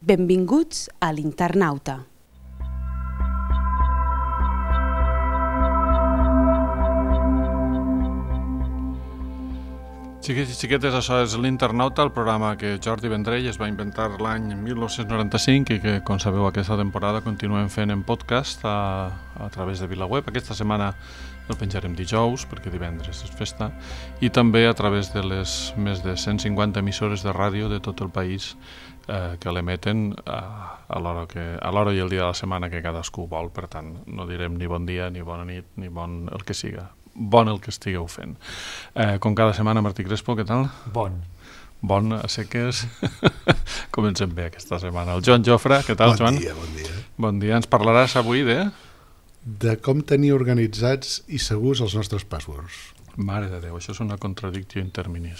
Benvinguts a l'Internauta. Xiquets i xiquetes, això és l'Internauta, el programa que Jordi Vendrell es va inventar l'any 1995 i que, com sabeu, aquesta temporada continuem fent en podcast a través de VilaWeb. Aquesta setmana el penjarem dijous, perquè divendres és festa, i també a través de les més de 150 emissores de ràdio de tot el país que l'emeten a l'hora i el dia de la setmana que cadascú vol. Per tant, no direm ni bon dia, ni bona nit, ni bon el que siga. Bon el que estigueu fent. Com cada setmana, Martí Crespo, què tal? Bon, a seques. Comencem bé aquesta setmana. El Joan Jofre, què tal, Joan? Bon dia. Bon dia. Ens parlaràs avui de com tenir organitzats i segurs els nostres passwords. Mare de Déu, això és una contradicció in terminis.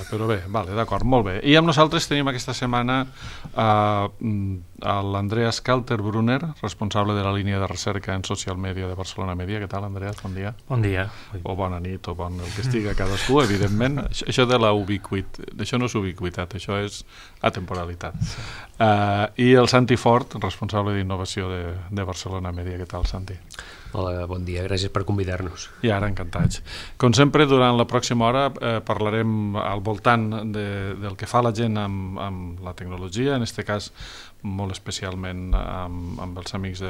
Però bé, vale, d'acord, molt bé. I amb nosaltres tenim aquesta setmana l'Andreas Kalterbrunner, responsable de la línia de recerca en social media de Barcelona Media. Què tal, Andreas? Bon dia. Bon dia. O bona nit, o bon el que estiga cadascú, evidentment. Això de la ubiquitat, això no és ubiquitat, això és atemporalitat. I el Santi Fort, responsable d'innovació de Barcelona Media. Què tal, Santi? Hola, bon dia, gràcies per convidar-nos. I ara, encantats. Com sempre, durant la pròxima hora parlarem al voltant del que fa la gent amb la tecnologia, en aquest cas molt especialment amb els amics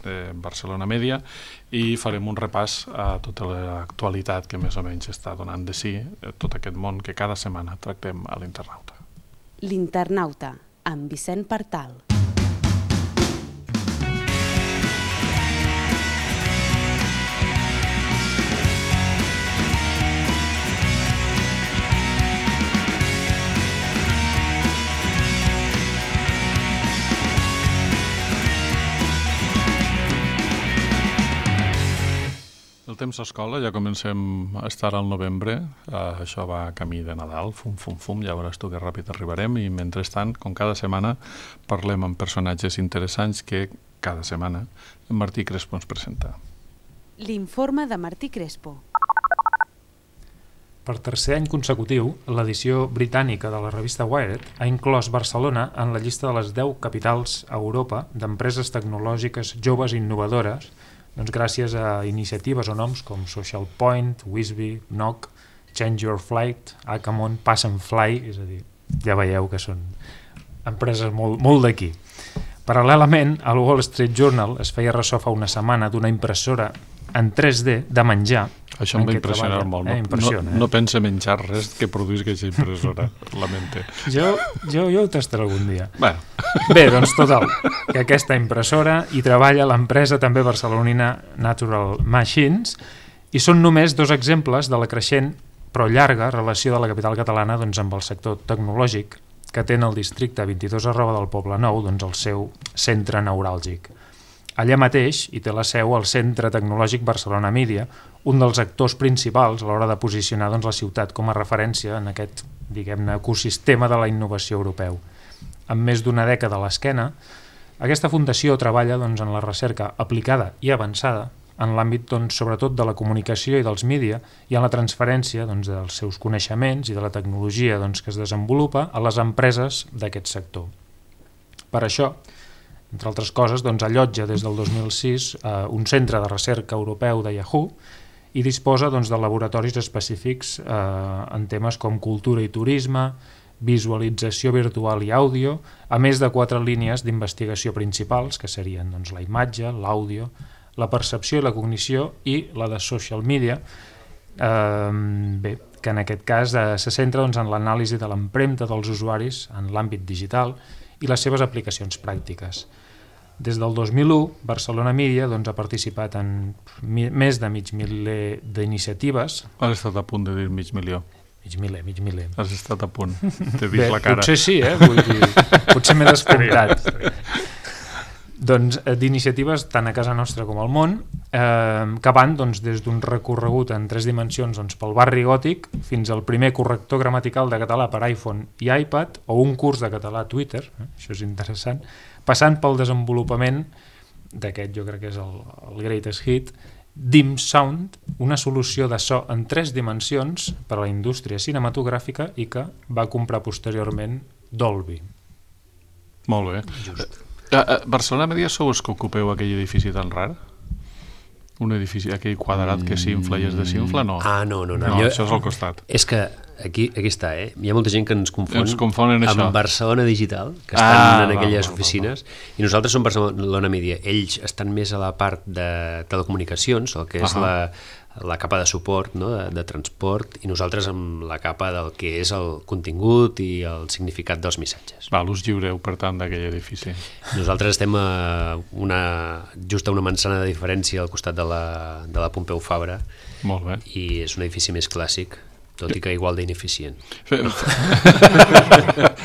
de Barcelona Media, i farem un repàs a tota l'actualitat que més o menys està donant de si tot aquest món que cada setmana tractem a l'Internauta. L'Internauta, amb Vicent Partal. El temps a escola, ja comencem a estar al novembre, això va camí de Nadal, fum, ja veuràs tu que ràpid arribarem, i mentrestant, com cada setmana, parlem amb personatges interessants que cada setmana en Martí Crespo ens presenta. L'informe de Martí Crespo. Per tercer any consecutiu, l'edició britànica de la revista Wired ha inclòs Barcelona en la llista de les 10 capitals a Europa d'empreses tecnològiques joves i innovadores, doncs gràcies a iniciatives o noms com Social Point, Wisby, Knock, Change Your Flight, Akamon, Pass and Fly, és a dir, ja veieu que són empreses molt d'aquí. Paral·lelament, al Wall Street Journal es feia ressò fa una setmana d'una impressora en 3D de menjar. Això em va impressionar molt. No pense menjar res que produís aquesta impressora, lamente. Jo ho tastaré algun dia. Bueno. Bé, doncs total, que aquesta impressora hi treballa l'empresa també barcelonina Natural Machines, i són només 2 exemples de la creixent però llarga relació de la capital catalana amb el sector tecnològic, que té en el districte 22 del Poblenou el seu centre neuràlgic. Allà mateix hi té la seu el Centre Tecnològic Barcelona Media, un dels actors principals a l'hora de posicionar la ciutat com a referència en aquest, diguem-ne, ecosistema de la innovació europeu. Amb més d'1 dècada a l'esquena, aquesta fundació treballa en la recerca aplicada i avançada en l'àmbit sobretot de la comunicació i dels mídia i en la transferència dels seus coneixements i de la tecnologia que es desenvolupa a les empreses d'aquest sector. Per això, entre altres coses, allotja des del 2006 un centre de recerca europeu de Yahoo i disposa de laboratoris específics en temes com cultura i turisme, visualització virtual i àudio, a més de 4 línies d'investigació principals, que serien la imatge, l'àudio, la percepció i la cognició, i la de social media, que en aquest cas se centra en l'anàlisi de l'empremta dels usuaris en l'àmbit digital i les seves aplicacions pràctiques. Des del 2001, Barcelona Media ha participat en més de mig miler d'iniciatives. Has estat a punt de dir mig milió. Mig miler. Has estat a punt, t'he vist la cara. Potser sí, vull dir, potser m'he descomptat. Doncs d'iniciatives tant a casa nostra com al món, que van des d'un recorregut en 3 dimensions pel barri gòtic fins al primer corrector gramatical de català per iPhone i iPad, o un curs de català a Twitter, això és interessant, passant pel desenvolupament d'aquest, jo crec que és el greatest hit, Dim Sound, una solució de so en 3 dimensions per a la indústria cinematogràfica i que va comprar posteriorment Dolby. Molt bé. Just. Barcelona Media sou els que ocupeu aquell edifici tan rar? Un edifici, aquell quadrat que s'infla i es desinfla, no? No. Això és al costat. És que aquí està, Hi ha molta gent que ens confonen això. amb Barcelona Digital, que estan en aquelles oficines, i nosaltres som Barcelona Media. Ells estan més a la part de telecomunicacions, el que és la capa de suport, no? de transport, i nosaltres amb la capa del que és el contingut i el significat dels missatges. Us lliureu, per tant, d'aquell edifici. Nosaltres estem just a una manzana de diferència al costat de la Pompeu Fabra. Molt bé. I és un edifici més clàssic, tot i que igual d'ineficient.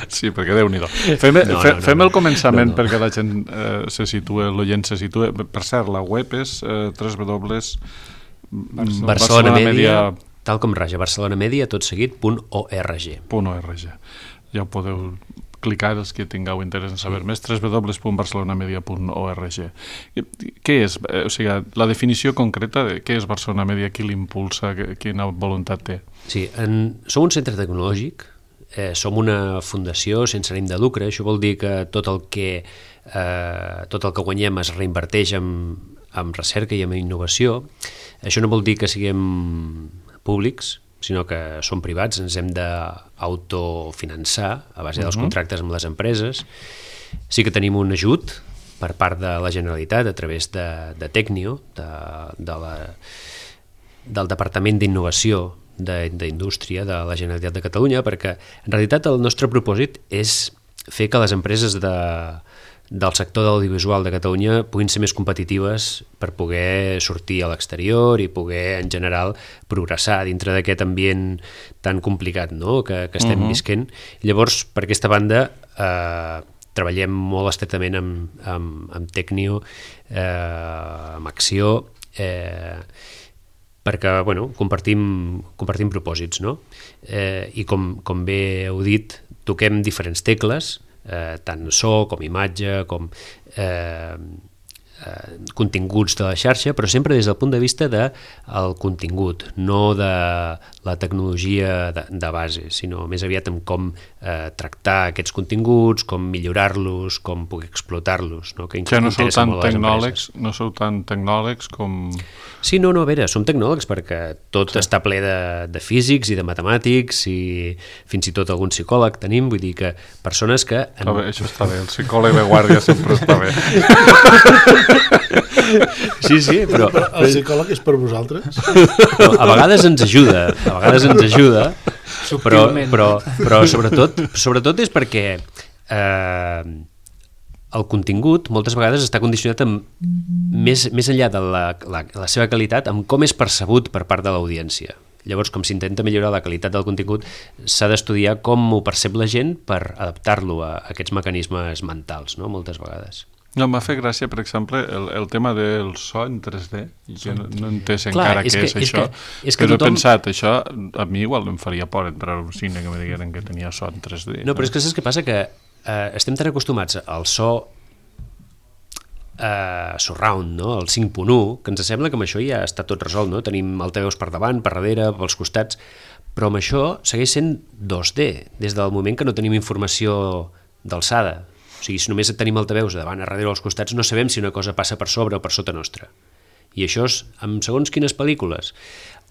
Sí, perquè Déu-n'hi-do. Fem el començament perquè la gent se situa, l'oient se situa. Per cert, la web és Barcelona Media, tal com raja, Barcelona Media, tot seguit, .org. Ja ho podeu clicar els que tingueu interès en saber més, www.barcelonamedia.org. Què és? O sigui, la definició concreta de què és Barcelona Media, qui l'impulsa, quina voluntat té? Sí, som un centre tecnològic, som una fundació sense ànim de lucre, això vol dir que tot el que guanyem es reinverteix en recerca i en innovació. Això no vol dir que siguem públics, sinó que som privats, ens hem d'autofinançar a base dels contractes amb les empreses. Sí que tenim un ajut per part de la Generalitat a través de Tecnio, del Departament d'Innovació d'Indústria de la Generalitat de Catalunya, perquè en realitat el nostre propòsit és fer que les empreses del sector de l'audiovisual de Catalunya puguin ser més competitives per poder sortir a l'exterior i poder, en general, progressar dintre d'aquest ambient tan complicat, no? que estem visquent. Llavors, per aquesta banda, treballem molt estretament amb Tecnio, amb Acció, perquè compartim propòsits, no? I com bé heu dit, toquem diferents tecles, tant so com imatge, com continguts de la xarxa, però sempre des del punt de vista del contingut, no de la tecnologia de base, sinó més aviat en com tractar aquests continguts, com millorar-los, com poder explotar-los. Que no sou tan tecnòlegs com... Sí, no, a veure, som tecnòlegs perquè tot està ple de físics i de matemàtics i fins i tot algun psicòleg tenim, vull dir que persones que... Això està bé, el psicòleg de guàrdia sempre està bé. Sí, però... El psicòleg és per vosaltres? A vegades ens ajuda, però sobretot és perquè el contingut moltes vegades està condicionat més enllà de la seva qualitat amb com és percebut per part de l'audiència. Llavors, com s'intenta millorar la qualitat del contingut, s'ha d'estudiar com ho percep la gent per adaptar-lo a aquests mecanismes mentals, no? Moltes vegades. No, m'ha fet gràcia, per exemple, el tema del so en 3D. Jo no he entès encara què és això, però he pensat, això a mi igual em faria por entrar a un cine que me digueren que tenia so en 3D. No, però és que saps què passa? Que estem tan acostumats al so surround, no? El 5.1, que ens sembla que amb això ja està tot resolt, no? Tenim altaveus per davant, per darrere, pels costats, però amb això segueix sent 2D, des del moment que no tenim informació d'alçada. O sigui, si només tenim altaveus davant, a darrere o als costats, no sabem si una cosa passa per sobre o per sota nostra. I això és amb segons quines pel·lícules,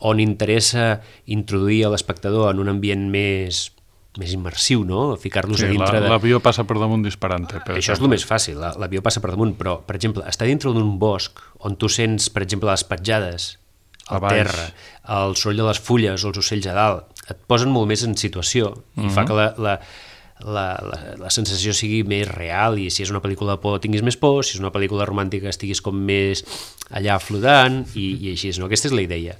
on interessa introduir a l'espectador en un ambient més immersiu, no? Ficar-los a dintre de... L'avió passa per damunt disparant-te. Això és el més fàcil, l'avió passa per damunt, però, per exemple, estar dintre d'un bosc on tu sents, per exemple, les petjades al terra, el soroll de les fulles o els ocells a dalt, et posen molt més en situació i fa que la sensació sigui més real, i si és una pel·lícula de por tinguis més por, si és una pel·lícula romàntica estiguis com més allà flodant i així, no? Aquesta és la idea.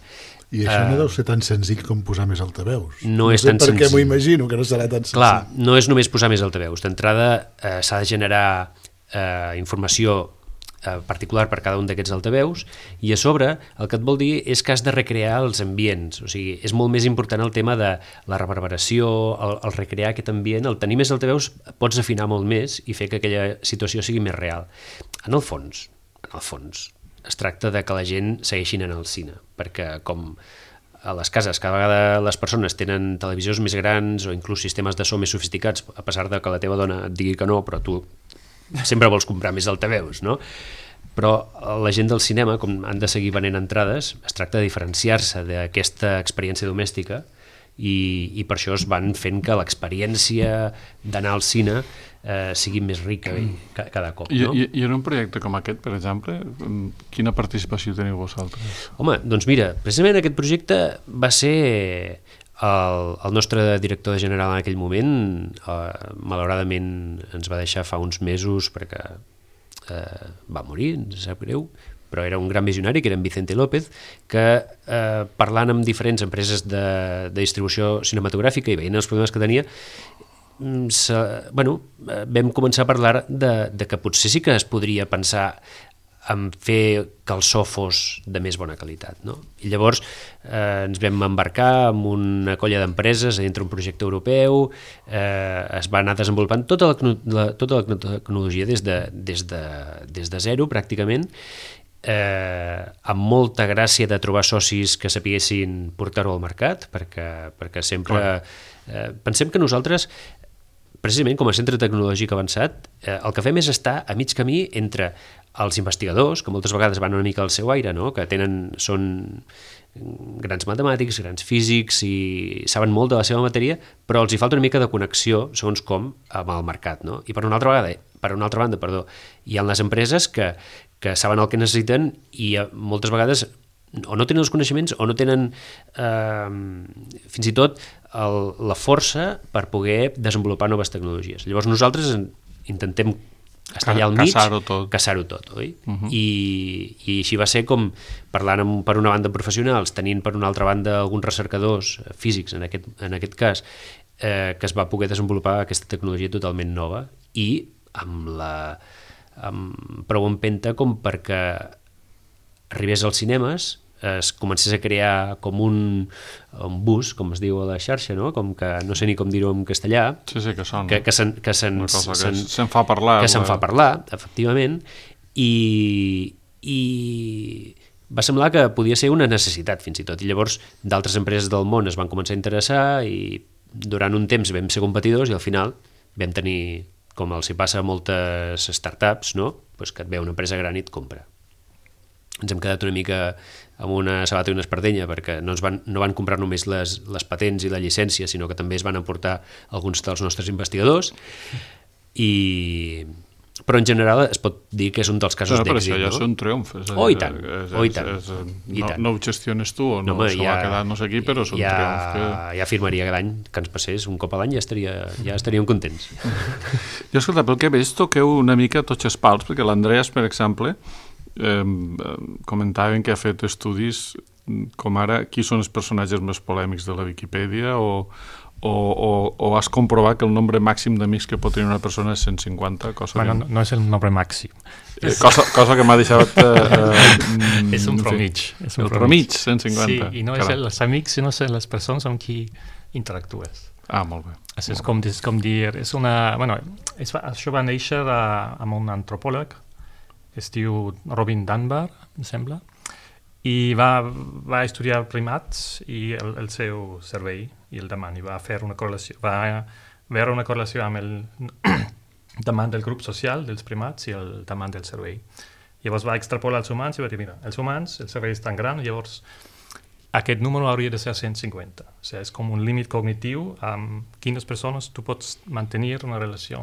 I això no deu ser tan senzill com posar més altaveus. No és tan senzill. Perquè m'ho imagino que no serà tan senzill. Clar, no és només posar més altaveus. D'entrada s'ha de generar informació particular per cada un d'aquests altaveus, i a sobre el que et vol dir és que has de recrear els ambients. O sigui, és molt més important el tema de la reverberació, el recrear aquest ambient. El tenir més altaveus pots afinar molt més i fer que aquella situació sigui més real. En el fons, es tracta de que la gent segueixi anant al cine, perquè com a les cases cada vegada les persones tenen televisors més grans o inclús sistemes de so més sofisticats, a pesar de que la teva dona et digui que no, però tu sempre vols comprar més altaveus, no? Però la gent del cinema, com han de seguir venent entrades, es tracta de diferenciar-se d'aquesta experiència domèstica i per això es van fent que l'experiència d'anar al cine sigui més rica cada cop. No? I en un projecte com aquest, per exemple, quina participació teniu vosaltres? Home, doncs mira, precisament aquest projecte va ser el nostre director general en aquell moment, malauradament ens va deixar fa uns mesos perquè va morir, ens sap greu, però era un gran visionari, que era en Vicente López, que parlant amb diferents empreses de distribució cinematogràfica i veient els problemes que tenia, vam començar a parlar de que potser sí que es podria pensar en fer que el so fos de més bona qualitat, no? I llavors ens vam embarcar en una colla d'empreses dintre un projecte europeu, es va anar desenvolupant tota la tecnologia des de zero pràcticament, amb molta gràcia de trobar socis que sapiguessin portar-ho al mercat, perquè sempre pensem que nosaltres, precisament com a centre tecnològic avançat, el que fem és estar a mig camí entre els investigadors, que moltes vegades van una mica al seu aire, no? Que són grans matemàtics, grans físics i saben molt de la seva matèria, però els hi falta una mica de connexió, segons com, amb el mercat, no? I per una altra banda, hi ha les empreses que saben el que necessiten i moltes vegades o no tenen els coneixements o no tenen fins i tot la força per poder desenvolupar noves tecnologies. Llavors nosaltres intentem estar allà al mig, caçar-ho tot, oi? I així va ser com parlant per una banda professionals, tenint per una altra banda alguns recercadors físics, en aquest cas, que es va poder desenvolupar aquesta tecnologia totalment nova i amb prou empenta com perquè arribés als cinemes, es comencés a crear com un bus, com es diu a la xarxa, no? Com que no sé ni com dir-ho en castellà, sí, que són, que se'n fa parlar, efectivament, i va semblar que podia ser una necessitat fins i tot, i llavors d'altres empreses del món es van començar a interessar i durant un temps vam ser competidors i al final vam tenir, com els hi passa a moltes startups, no? Pues que et ve una empresa gran i et compra. Ens hem quedat una mica amb una sabata i una espardenya perquè no van comprar només les patents i la llicència, sinó que també es van emportar alguns dels nostres investigadors però en general es pot dir que és un dels casos d'èxit. Però això ja és un triomf. I tant. No ho gestiones tu o no s'ho va quedar no sé qui, però és un triomf. Ja afirmaria que l'any que ens passés un cop a l'any ja estaríem contents. Jo, escolta, pel que veig toqueu una mica tots els pals, perquè l'Andreas, per exemple, comentaven que ha fet estudis com ara qui són els personatges més polèmics de la Viquipèdia o has comprovat que el nombre màxim d'amics que pot tenir una persona és 150, no és el nombre màxim. Cosa que m'ha deixat... és un promig. El promig, 150. Sí, i no és els amics, sinó les persones amb qui interactues. Ah, molt bé. És com dir... Això va néixer amb un antropòleg que es diu Robin Dunbar, em sembla, i va estudiar primats i el seu cervell i el demant, i va veure una correlació amb el demant del grup social dels primats i el demant del cervell. Llavors va extrapolar als humans i va dir, mira, els humans, el cervell és tan gran, llavors aquest número hauria de ser 150. O sigui, és com un límit cognitiu amb quines persones tu pots mantenir una relació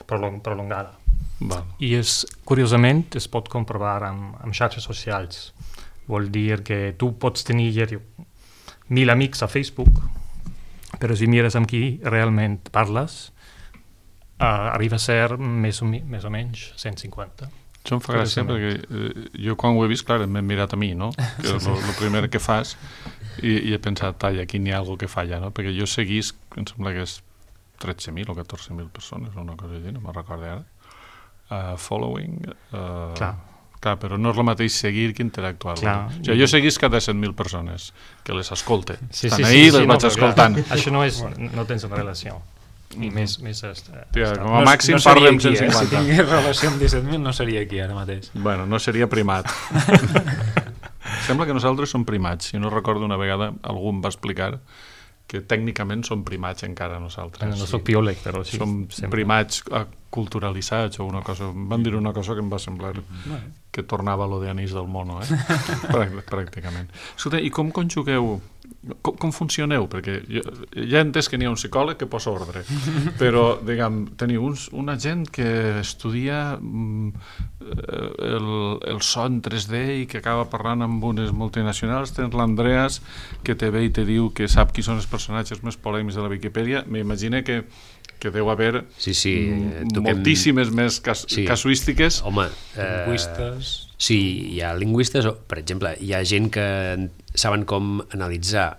prolongada. I curiosament es pot comprovar amb xarxes socials. Vol dir que tu pots tenir 1.000 amics a Facebook, però si mires amb qui realment parles, arriba a ser més o menys 150. Això em fa gràcia perquè jo quan ho he vist, clar, m'he mirat a mi, no? Que és el primer que fas i he pensat, aquí n'hi ha alguna que falla, no? Perquè jo seguís, em sembla que és 13.000 o 14.000 persones o una cosa així, no me'n recordo ara. Following... Clar, però no és el mateix seguir que interactuar. Jo seguís cada 100.000 persones que les escolte. Estan ahí, les vaig escoltant. Això no tens una relació. I més com a màxim parlem 150. Si tingués relació amb 17.000 no seria aquí ara mateix. Bueno, no seria primat. Sembla que nosaltres som primats. Si no recordo, una vegada algú em va explicar que tècnicament som primats encara nosaltres. No soc biòleg, però sí. Som primats culturalitzats o una cosa. Em van dir una cosa que em va semblar que tornava a lo de Anís del Mono, pràcticament. Escolta, i com conjugueu, com funcioneu? Perquè ja he entès que n'hi ha un psicòleg que posa ordre, però, diguem, teniu una gent que estudia el so en 3D i que acaba parlant amb unes multinacionals. Tens l'Andreas, que te ve i te diu que sap qui són els personatges més polèmics de la Viquipèdia. M'imagino que deu haver moltíssimes més casuístiques. Home, lingüistes... Sí, hi ha lingüistes, per exemple, hi ha gent que saben com analitzar,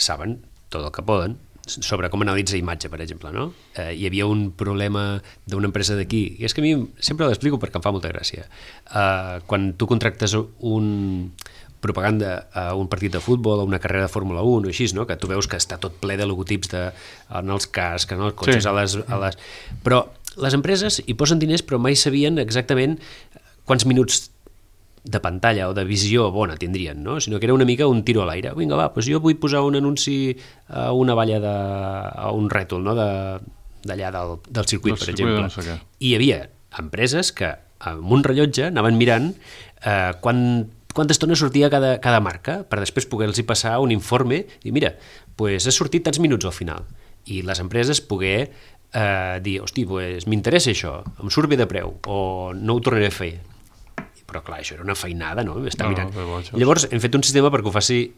saben tot el que poden, sobre com analitza imatge, per exemple, no? Hi havia un problema d'una empresa d'aquí, i és que a mi sempre l'explico perquè em fa molta gràcia. Quan tu contractes propaganda a un partit de futbol, a una carrera de Fórmula 1 o així, no? Que tu veus que està tot ple de logotips en els cascs, en els cotxes, sí. Però les empreses hi posen diners però mai sabien exactament quants minuts de pantalla o de visió bona tindrien, no? Sinó que era una mica un tiro a l'aire. Vinga, va, doncs jo vull posar un anunci a una valla a un rètol, no? D'allà del circuit, per exemple. I hi havia empreses que amb un rellotge anaven mirant quanta estona sortia cada marca, per després poder-los passar un informe i mira, doncs ha sortit tants minuts al final. I les empreses poder dir, hosti, doncs m'interessa això, em surt bé de preu, o no ho tornaré a fer. Però clar, això era una feinada, no? Està mirant. Llavors hem fet un sistema perquè ho faci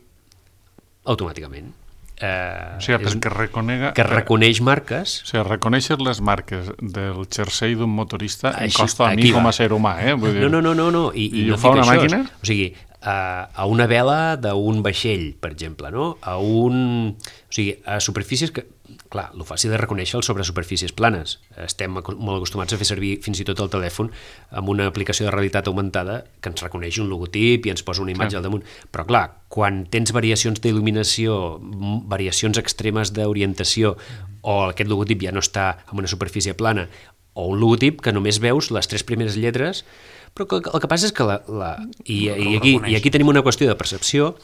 automàticament. O sigui, perquè que reconeix marques. O sigui, reconèixer les marques del jersei d'un motorista em costa a mi com a ser humà, Vull dir, no. I ho fa una màquina? O sigui, a una vela d'un vaixell, per exemple, no? A superfícies que... Clar, el fàcil de reconèixer sobre superfícies planes. Estem molt acostumats a fer servir fins i tot el telèfon amb una aplicació de realitat augmentada que ens reconeix un logotip i ens posa una imatge al damunt. Però clar, quan tens variacions d'il·luminació, variacions extremes d'orientació, o aquest logotip ja no està en una superfície plana, o un logotip que només veus les 3 primeres lletres, però el que passa és que i aquí tenim una qüestió de percepció.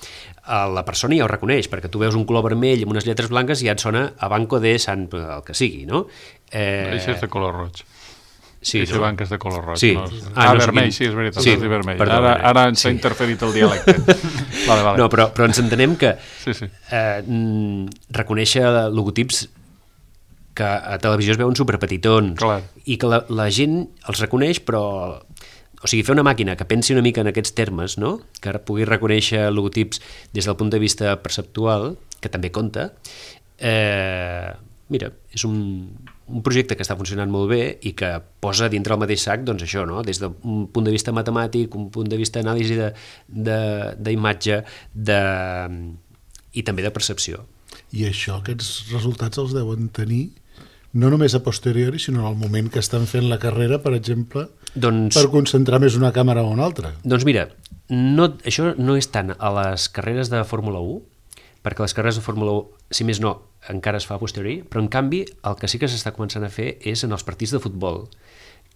La persona ja ho reconeix, perquè tu veus un color vermell amb unes lletres blanques i ja et sona a Banco de Sant... el que sigui, no? Això és de color roig. Sí, Això banca és de color roig. Sí. Vermell, sí, és veritat, és de vermell. Ara ens ha interferit el dialecte. Vale. No, però ens entenem que reconèixer logotips que a televisió es veuen superpetitons i que la gent els reconeix, però... O sigui, fer una màquina que pensi una mica en aquests termes, no? Que pugui reconèixer logotips des del punt de vista perceptual, que també compta. Mira, és un projecte que està funcionant molt bé i que posa dintre el mateix sac, doncs això, no? Des d'un punt de vista matemàtic, un punt de vista d'anàlisi d'imatge i també de percepció. I això, aquests resultats els deuen tenir no només a posteriori, sinó en el moment que estan fent la carrera, per exemple, per concentrar més una càmera o una altra. Doncs mira, això no és tant a les carreres de Fórmula 1, perquè les carreres de Fórmula 1, si més no, encara es fa a posteriori, però en canvi el que sí que s'està començant a fer és en els partits de futbol,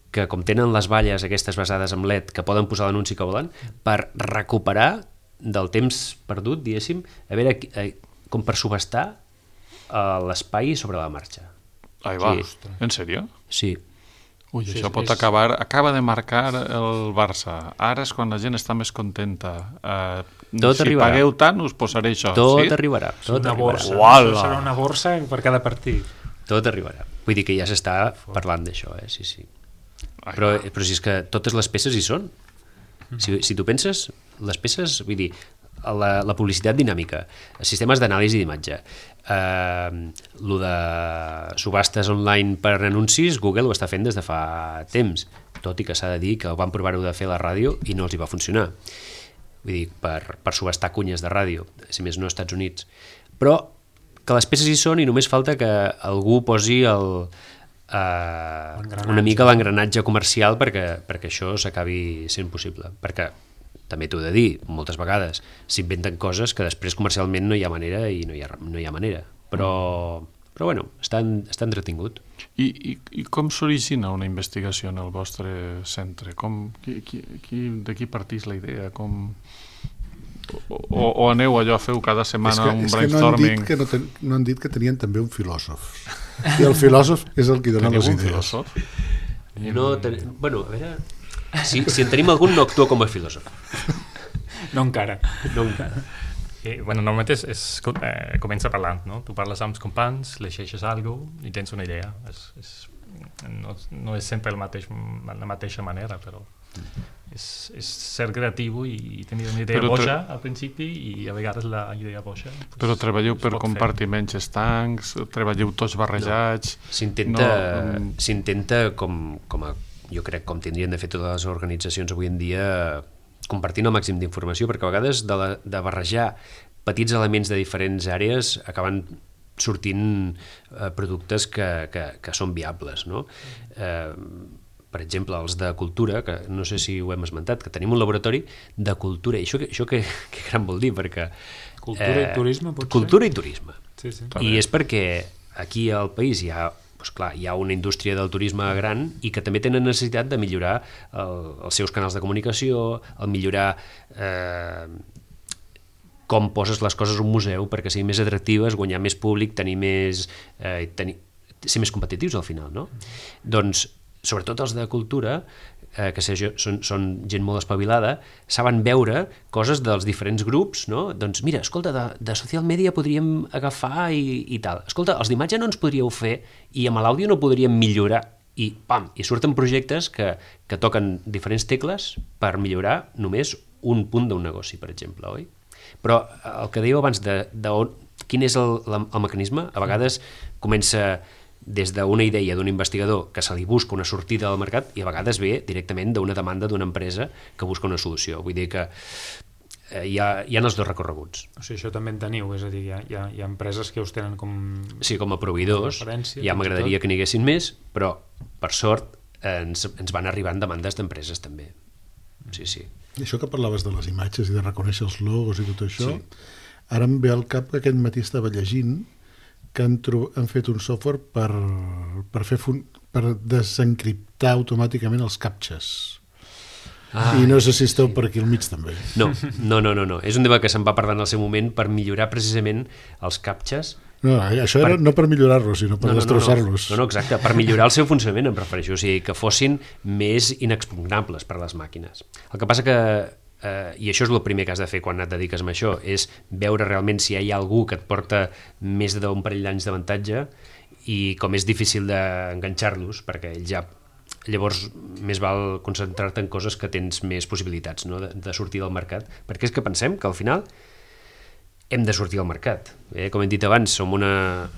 que com tenen les valles aquestes basades en LED, que poden posar l'anunci que volen, per recuperar del temps perdut, diguéssim, a veure, com per subestar l'espai sobre la marxa. Ai, va, en sèrio? Sí. Ui, això pot acabar... Acaba de marcar el Barça. Ara és quan la gent està més contenta. Si pagueu tant, us posaré això. Tot arribarà. Serà una borsa per cada partit. Tot arribarà. Vull dir que ja s'està parlant d'això, sí. Però si és que totes les peces hi són. Si tu penses, les peces, vull dir, la publicitat dinàmica, sistemes d'anàlisi d'imatge, lo de subhastes online per anuncis, Google ho està fent des de fa temps, tot i que s'ha de dir que van provar-ho de fer a la ràdio i no els hi va funcionar. Vull dir, per subhastar cunyes de ràdio, si més no als Estats Units. Però que les peces hi són i només falta que algú posi una mica l'engranatge comercial perquè això s'acabi sent possible. Perquè també t'ho he de dir, moltes vegades s'inventen coses que després comercialment no hi ha manera i no hi ha manera. Però bueno, està entretingut. I com s'origina una investigació en el vostre centre? De qui partís la idea? O aneu allò, feu cada setmana un brainstorming? No han dit que tenien també un filòsof. I el filòsof és el que dona les idees. Filòsof? Bueno, a veure... Si en tenim algun, no actua com a filòsof. No encara. Bueno, normalment comença parlant, no? Tu parles amb els companys, llegeixes alguna cosa i tens una idea. No és sempre la mateixa manera, però és ser creatiu i tenir una idea boja al principi i a vegades la idea boja... Però treballeu per compartiments estancs, treballeu tots barrejats... S'intenta com jo crec com tindrien de fer totes les organitzacions avui en dia, compartint el màxim d'informació, perquè a vegades de barrejar petits elements de diferents àrees acaben sortint productes que són viables, no? Per exemple, els de cultura, que no sé si ho hem esmentat, que tenim un laboratori de cultura, i això què gran vol dir? Perquè cultura i turisme, potser? Cultura i turisme. Sí. I és perquè aquí al país hi ha una indústria del turisme gran i que també tenen necessitat de millorar els seus canals de comunicació, el millorar com poses les coses a un museu perquè siguin més atractives, guanyar més públic, ser més competitius al final, no? Doncs, sobretot els de cultura, que són gent molt espavilada, saben veure coses dels diferents grups, no? Doncs mira, escolta, de social media podríem agafar i tal. Escolta, els d'imatge no ens podríeu fer i amb l'àudio no podríem millorar. I surten projectes que toquen diferents tecles per millorar només un punt d'un negoci, per exemple, oi? Però el que dèieu abans quin és el mecanisme, a vegades comença des d'una idea d'un investigador que se li busca una sortida al mercat i a vegades ve directament d'una demanda d'una empresa que busca una solució. Vull dir que hi ha els dos recorreguts. O sigui, això també en teniu, és a dir, hi ha empreses que us tenen com... Sí, com a proveïdors, ja m'agradaria que n'hi haguessin més, però per sort ens van arribant demandes d'empreses també. Sí. I això que parlaves de les imatges i de reconèixer els logos i tot això, ara em ve al cap que aquest matí estava llegint que han fet un software per desencriptar automàticament els captxes. I no sé si esteu per aquí al mig també. No. És un debat que se'n va parlar en el seu moment per millorar precisament els captxes. No, això era no per millorar-los, sinó per destrossar-los. No, exacte, per millorar el seu funcionament, em refereixo, o sigui, que fossin més inexpugnables per a les màquines. El que passa que, i això és el primer que has de fer quan et dediques a això, és veure realment si hi ha algú que et porta més d'un parell d'anys d'avantatge i com és difícil d'enganxar-los, perquè ells ja... Llavors, més val concentrar-te en coses que tens més possibilitats, no? de sortir del mercat, perquè és que pensem que al final hem de sortir al mercat. Com hem dit abans, som una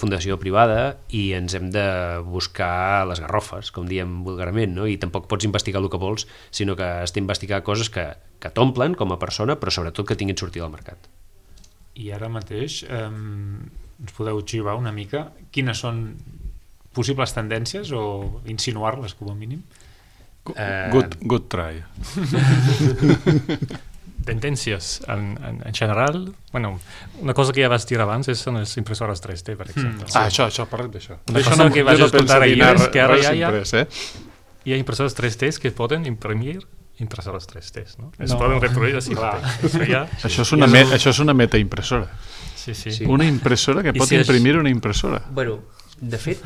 fundació privada i ens hem de buscar les garrofes, com diem vulgarment, no? I tampoc pots investigar el que vols, sinó que has d'investigar coses que t'omplen com a persona, però sobretot que tinguin sortida al mercat. I ara mateix ens podeu xivar una mica quines són possibles tendències o insinuar-les com a mínim? Good try. Tendències en general, bueno, una cosa que ja vas dir abans són les impressores 3D, per exemple. Això, parlem d'això. Una cosa que vaig escoltar ahir és que ara hi ha impressores 3D que poden imprimir impressores 3D, no? Es poden reproduir així. Això és una metaimpressora. Sí. Una impressora que pot imprimir una impressora. Bueno, de fet,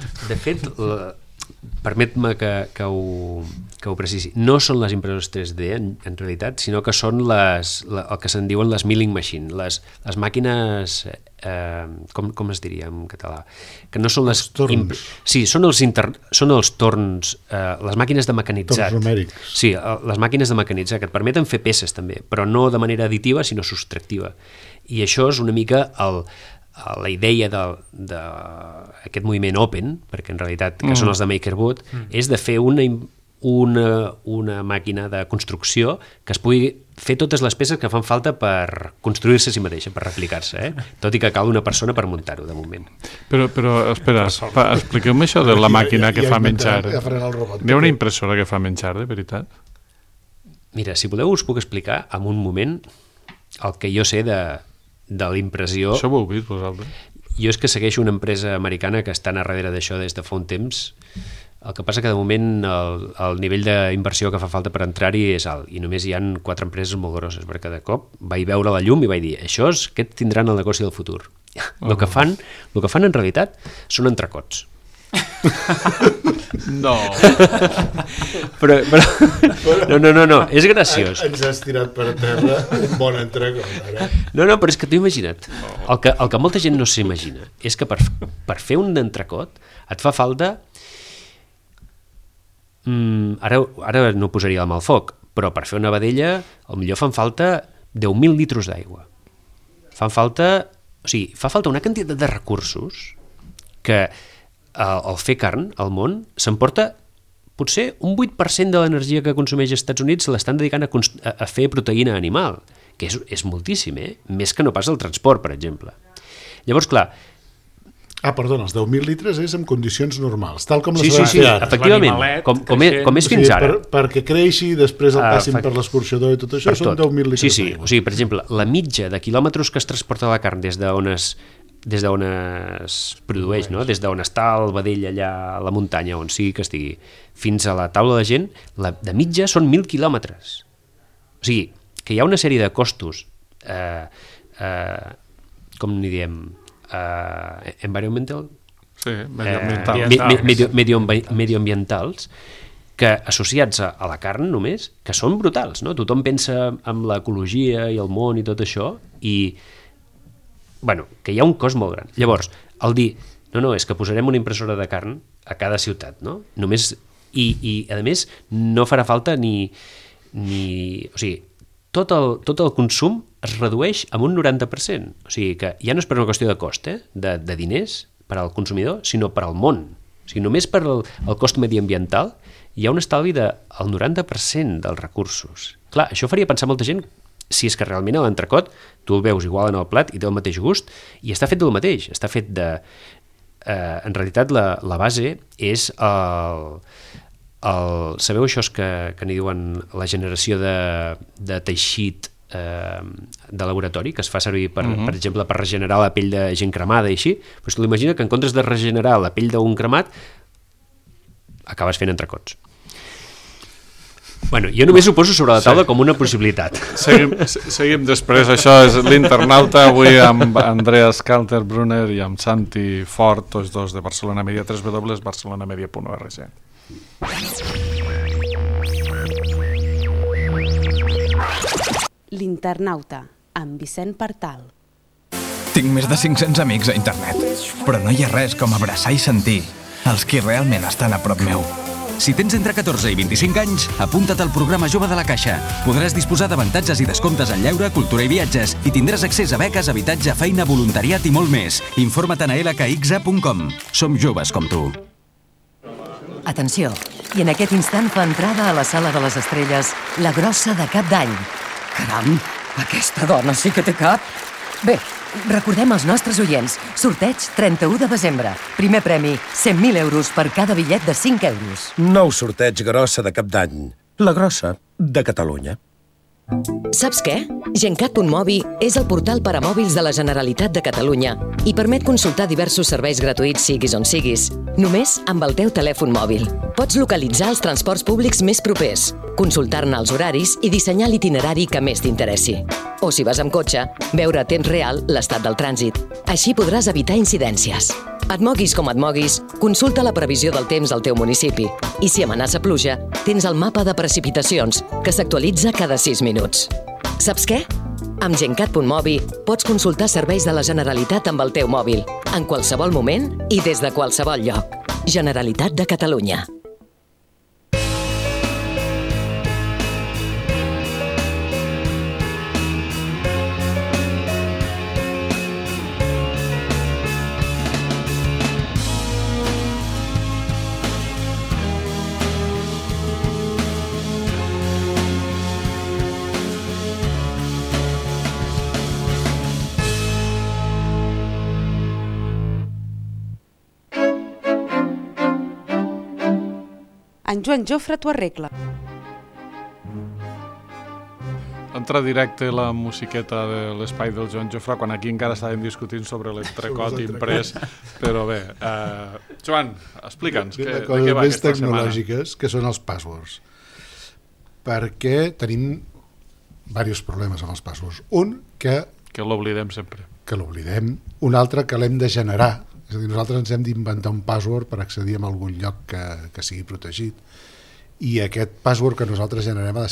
permet-me que ho precisi. No són les impressores 3D en realitat, sinó que són el que se'n diuen les milling machine, les màquines, com es diria en català? Que no són les torns. Sí, són els torns, les màquines de mecanitzat. Torns numèrics. Sí, les màquines de mecanitzat, que et permeten fer peces també, però no de manera additiva, sinó subtractiva. I això és una mica la idea d'aquest moviment open, perquè en realitat que són els de MakerBot, és de fer una màquina de construcció que es pugui fer totes les peces que fan falta per construir-se a si mateixa, per replicar-se, tot i que cal una persona per muntar-ho, de moment. Però espera, expliqueu-me això de la màquina que fa menjar. Hi ha una impressora que fa menjar, de veritat? Mira, si voleu us puc explicar en un moment el que jo sé de l'impressió. Això ho heu vist vosaltres? Jo és que segueixo una empresa americana que està a darrere d'això des de fa un temps, El que passa que de moment el nivell d'inversió que fa falta per entrar-hi és alt i només hi ha 4 empreses molt grosses, perquè de cop vaig veure la llum i vaig dir aquests tindran el negoci del futur. El que fan en realitat són entrecots. No. Però no, és graciós. Ens has tirat per terra un bon entrecot, ara. No, però és que t'ho imagina't. El que molta gent no s'imagina és que per fer un entrecot et fa falta... Ara no posaria la mà al foc, però per fer una vedella potser fan falta 10.000 litres d'aigua. Fa falta una quantitat de recursos que al fer carn al món s'emporta potser un 8% de l'energia que consumeix als Estats Units l'estan dedicant a fer proteïna animal, que és moltíssim, més que no pas el transport, per exemple. Llavors, clar... Perdona, els 10.000 litres és en condicions normals, tal com les Sí, efectivament, com és fins ara. Perquè creixi, després el passin per l'escorxador i tot això, són 10.000 litres d'aigua. O sigui, per exemple, la mitja de quilòmetres que es transporta la carn des d'on es produeix, no? Des d'on està el vedell allà a la muntanya, on sigui que estigui, fins a la taula de gent, de mitja són 1.000 quilòmetres. O sigui, que hi ha una sèrie de costos, com n'hi diem, environmental? Sí, medioambientals, que associats a la carn només, que són brutals, no? Tothom pensa en l'ecologia i el món i tot això, i que hi ha un cost molt gran. Llavors, el dir, no, és que posarem una impressora de carn a cada ciutat, no? Només, i a més, no farà falta ni o sigui, tot el consum es redueix en un 90%. O sigui que ja no és per una qüestió de cost, de diners per al consumidor, sinó per al món. O sigui, només per el cost mediambiental hi ha un estalvi del 90% dels recursos. Clar, això faria pensar molta gent si és que realment l'entrecot tu el veus igual en el plat i té el mateix gust i està fet del mateix, està fet de... en realitat la base és sabeu això que n'hi diuen la generació de teixit de laboratori que es fa servir per exemple per regenerar la pell de gent cremada i així, doncs tu l'imagina que en comptes de regenerar la pell d'un cremat acabes fent entrecots. Jo només ho poso sobre la taula com una possibilitat. Seguim després. Això és l'Internauta, avui amb Andreas Kaltenbrunner i amb Santi Fort, tots dos de Barcelona Media, www.barcelonamedia.org. L'Internauta, amb Vicent Partal. Tinc més de 500 amics a internet, però no hi ha res com abraçar i sentir els qui realment estan a prop meu. Si tens entre 14 i 25 anys, apunta't al programa Jove de la Caixa. Podràs disposar d'avantatges i descomptes en lleure, cultura i viatges i tindràs accés a beques, habitatge, feina, voluntariat i molt més. Informa't a lkxa.com. Som joves com tu. Atenció, i en aquest instant fa entrada a la Sala de les Estrelles la grossa de Cap d'Any. Caram, aquesta dona sí que té cap. Bé, recordem als nostres oients, sorteig 31 de desembre. Primer premi, 100.000 euros per cada bitllet de 5 euros. Nou sorteig grossa de Cap d'Any. La grossa de Catalunya. Saps què? Gencat.mobi és el portal per a mòbils de la Generalitat de Catalunya i permet consultar diversos serveis gratuïts siguis on siguis, només amb el teu telèfon mòbil. Pots localitzar els transports públics més propers, consultar-ne els horaris i dissenyar l'itinerari que més t'interessi. O si vas amb cotxe, veure a temps real l'estat del trànsit. Així podràs evitar incidències. Et moguis com et moguis, consulta la previsió del temps al teu municipi. I si amenaça pluja, tens el mapa de precipitacions, que s'actualitza cada 6 minuts. Saps què? Amb Gencat.mobi pots consultar serveis de la Generalitat amb el teu mòbil, en qualsevol moment i des de qualsevol lloc. Generalitat de Catalunya. En Joan Jofre t'ho arregla. En entra directe la musiqueta de l'espai del Joan Jofrà, quan aquí encara estàvem discutint sobre l'entrecot imprès, però bé, Joan, explica'ns de què va aquesta setmana. Tecnològiques, que són els passwords, perquè tenim diversos problemes amb els passwords. Un, que l'oblidem sempre. Que l'oblidem. Un altre, que l'hem de generar. És a dir, nosaltres ens hem d'inventar un password per accedir a algun lloc que sigui protegit. I aquest password que nosaltres generem ha de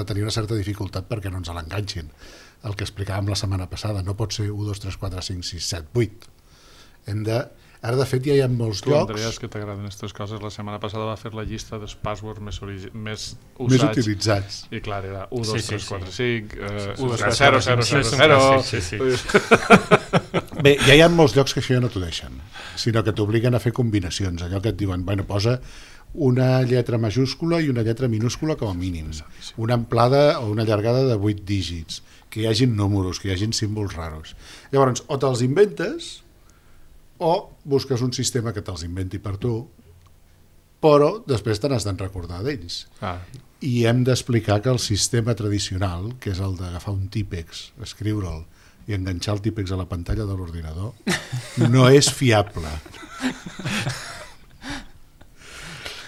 tenir una certa dificultat perquè no ens l'enganxin. El que explicàvem la setmana passada, no pot ser 1, 2, 3, 4, 5, 6, 7, 8. Ara, de fet, ja hi ha molts llocs... Tu, Andreas, que t'agraden aquestes coses, la setmana passada va fer la llista dels passwords més utilitzats. I clar, era 1, 2, 3, 4, 5, 0, 0, 0, 0... Bé, ja hi ha molts llocs que això ja no t'ho deixen, sinó que t'obliguen a fer combinacions. Allò que et diuen, bueno, posa una lletra majúscula i una lletra minúscula com a mínim, una amplada o una allargada de 8 dígits, que hi hagin números, que hi hagin símbols raros. Llavors, o te'ls inventes o busques un sistema que te'ls inventi per tu, però després te n'has de recordar d'ells. I hem d'explicar que el sistema tradicional, que és el d'agafar un típex, escriure'l i enganxar el típex a la pantalla de l'ordinador, no és fiable.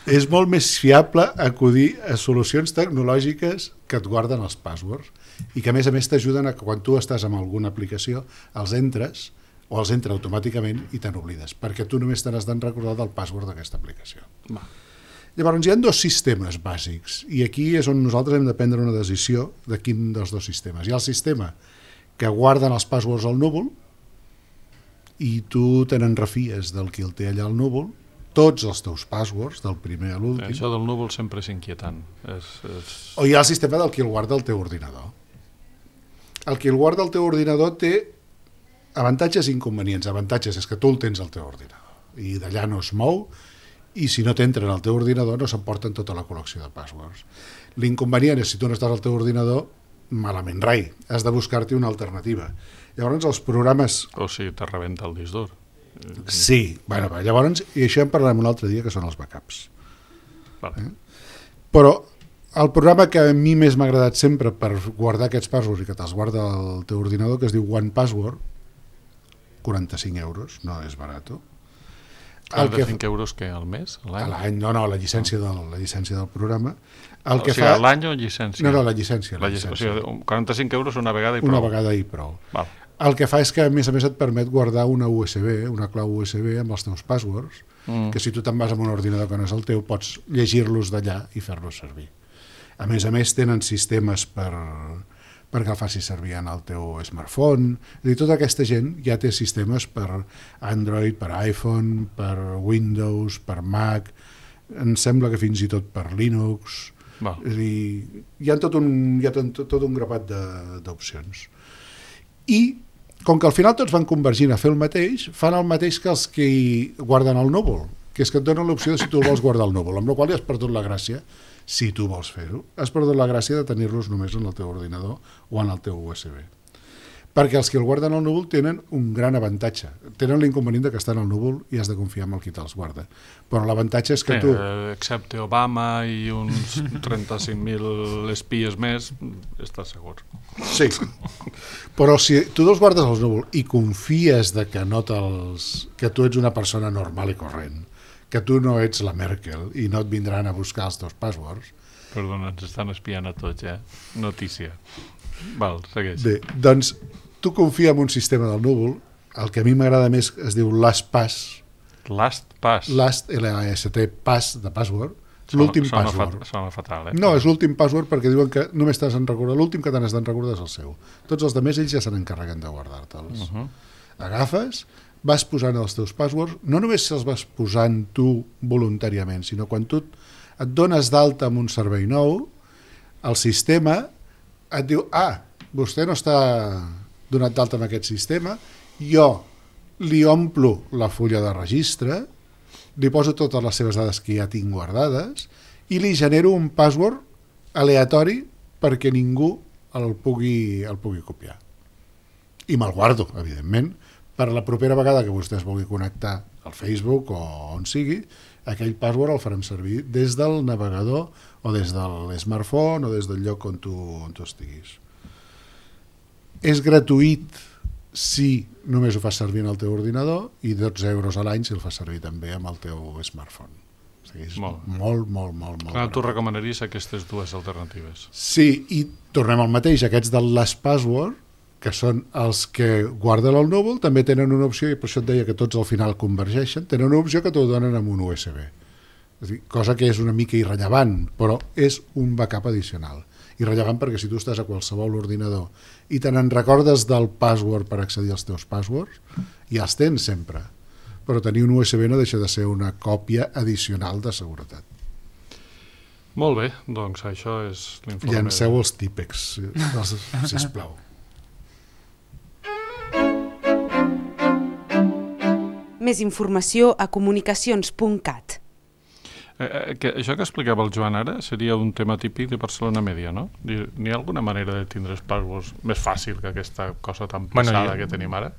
És molt més fiable acudir a solucions tecnològiques que et guarden els passwords i que a més t'ajuden a que quan tu estàs en alguna aplicació els entres o els entra automàticament i te n'oblides, perquè tu només te n'has de recordar del password d'aquesta aplicació. Llavors hi ha 2 sistemes bàsics i aquí és on nosaltres hem de prendre una decisió de quin dels 2 sistemes. Hi ha el sistema que guarden els passwords al núvol i tu te n'en refies del qui el té allà al núvol, tots els teus passwords, del primer a l'últim. Això del núvol sempre és inquietant. O hi ha el sistema del qui el guarda al teu ordinador. El qui el guarda al teu ordinador té avantatges i inconvenients. Avantatges és que tu el tens al teu ordinador i d'allà no es mou i si no t'entren al teu ordinador no s'emporten tota la col·lecció de passwords. L'inconvenient és si tu no estàs al teu ordinador, malament rai, has de buscar-te una alternativa. Llavors els programes... O si te rebenta el disc dur. Sí, bueno, llavors, i això en parlarem un altre dia, que són els backups. Vale. Però el programa que a mi més m'ha agradat sempre per guardar aquests passwords i que te'ls guarda al teu ordinador, que es diu OnePassword, 45 euros, no és barat. 45 euros que al mes? A l'any, no, la llicència del programa. O sigui, a l'any o llicència? No, la llicència. O sigui, 45 euros una vegada i prou. Una vegada i prou. Val. El que fa és que, a més et permet guardar una USB, una clau USB amb els teus passwords, que si tu te'n vas amb un ordinador que no és el teu, pots llegir-los d'allà i fer-los servir. A més, tenen sistemes perquè el facis servir en el teu smartphone. És a dir, tota aquesta gent ja té sistemes per Android, per iPhone, per Windows, per Mac, em sembla que fins i tot per Linux. És a dir, hi ha tot un grapat d'opcions. I, com que al final tots van convergint a fer el mateix, fan el mateix que els que guarden el núvol, que és que et donen l'opció de si tu el vols guardar al núvol, amb la qual ja has perdut la gràcia. Si tu vols fer-ho, has perdut la gràcia de tenir-los només en el teu ordinador o en el teu USB. Perquè els que el guarden al núvol tenen un gran avantatge. Tenen l'inconvenient que estan al núvol i has de confiar en el qui te'ls guarda. Però l'avantatge és que tu... Excepte Obama i uns 35.000 espies més, estàs segur. Sí. Però si tu els guardes al núvol i confies de que que tu ets una persona normal i corrent, que tu no ets la Merkel i no et vindran a buscar els teus passwords... Perdona, ens estan espiant a tots, Notícia. Val, segueix. Bé, doncs tu confia en un sistema del núvol, el que a mi m'agrada més es diu LastPass. LastPass? L-A-S-T, pass de password. L'últim password. Sona fatal, No, és l'últim password perquè diuen que només t'has de recordar, l'últim que te n'has de recordar és el seu. Tots els altres ells ja se n'encarreguen de guardar-te'ls. Agafes, vas posant els teus passwords, no només els vas posant tu voluntàriament, sinó quan tu et dones d'alta amb un servei nou, el sistema et diu, vostè no està donat d'alta en aquest sistema, jo li omplo la fulla de registre, li poso totes les seves dades que ja tinc guardades i li genero un password aleatori perquè ningú el pugui copiar. I me'l guardo, evidentment, per la propera vegada que vostè es vulgui connectar al Facebook o on sigui, aquell password el farem servir des del navegador o des del smartphone o des del lloc on tu estiguis. És gratuït si només ho fas servir en el teu ordinador i 12 euros a l'any si el fas servir també amb el teu smartphone. O sigui, és molt Tu recomanaries aquestes dues alternatives? Sí, i tornem al mateix, aquests del Last Password, que són els que guarden el núvol, també tenen una opció, i per això et deia que tots al final convergeixen, tenen una opció que t'ho donen amb un USB. És a dir, cosa que és una mica irrellevant, però és un backup addicional. Irrellevant perquè si tu estàs a qualsevol ordinador i te n'en recordes del password per accedir als teus passwords, ja els tens sempre. Però tenir un USB no deixa de ser una còpia addicional de seguretat. Molt bé, doncs això és l'informe. Llanceu els típex, sisplau. Més informació a comunicacions.cat. Això que explicava el Joan ara seria un tema típic de Barcelona Media, no? N'hi ha alguna manera de tindre els passwords més fàcil que aquesta cosa tan pesada que tenim ara?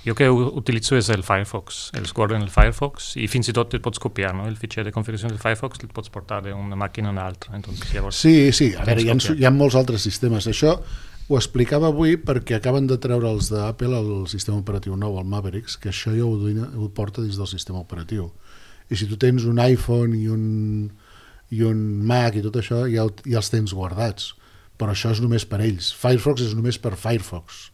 Jo que utilitzo és el Firefox, els guardo en el Firefox i fins i tot et pots copiar, no? El fitxer de configuració del Firefox el pots portar d'una màquina a una altra. Entonces, llavors, sí, a veure, hi ha molts altres sistemes. Això ho explicava avui perquè acaben de treure els d'Apple el sistema operatiu nou, el Mavericks, que això ja ho porta dins del sistema operatiu. I si tu tens un iPhone i un Mac i tot això, ja els tens guardats. Però això és només per ells. Firefox és només per Firefox.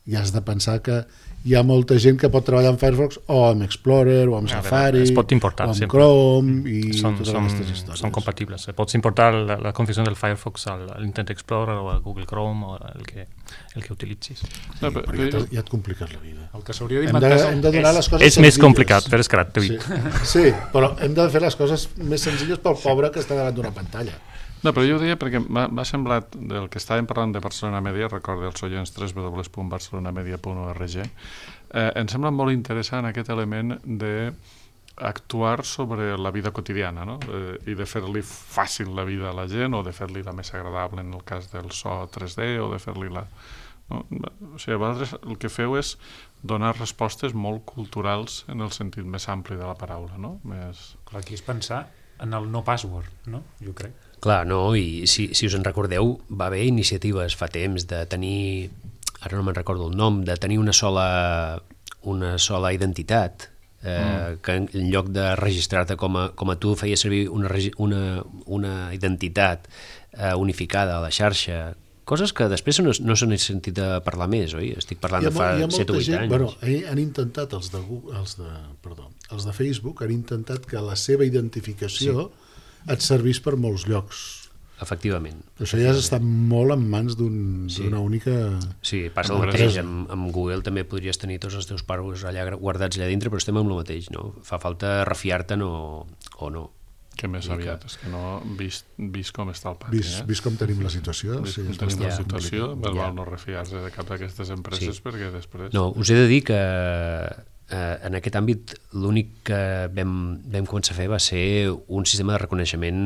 I has de pensar que hi ha molta gent que pot treballar amb Firefox o amb Explorer, o amb Safari, es pot importar, o amb sempre. Chrome i totes aquestes històries. Són compatibles. Pots importar la configuració del Firefox a l'Internet Explorer o a Google Chrome o el que utilitzis. Sí, però ja et compliques la vida. El que s'hauria d'inventar hem de donar les coses és més complicat, però és gratuït. Sí, però hem de fer les coses més senzilles pel pobre que està davant d'una pantalla. No, però jo ho deia perquè m'ha semblat, del que estàvem parlant de Barcelona Media, recorda els oients www.barcelonamedia.org, em sembla molt interessant aquest element d'actuar sobre la vida quotidiana, no? I de fer-li fàcil la vida a la gent o de fer-li la més agradable en el cas del so 3D o de fer-li la... No? O sigui, vosaltres el que feu és donar respostes molt culturals en el sentit més ampli de la paraula, no? Clar, aquí és pensar en el no password, no? Jo crec. Clar, no, i si us en recordeu, va haver iniciatives fa temps de tenir, ara no me'n recordo el nom, de tenir una sola identitat, que en lloc de registrar-te com a tu feies servir una identitat unificada a la xarxa, coses que després no se n'ha sentit a parlar més, oi? Estic parlant de fa 7 o 8 anys. Bueno, han intentat, els de Facebook han intentat que la seva identificació et servís per molts llocs. Efectivament. Això ja està molt en mans d'una única... Sí, passa el mateix. Amb Google també podries tenir tots els teus passwords allà guardats allà dintre, però estem amb el mateix, no? Fa falta refiar-te'n o no. Que més aviat, és que no, vist com està el pati. Vist com tenim la situació. Vist com tenim la situació, més val no refiar-se de cap d'aquestes empreses perquè després... No, us he de dir que en aquest àmbit l'únic que vam començar a fer va ser un sistema de reconeixement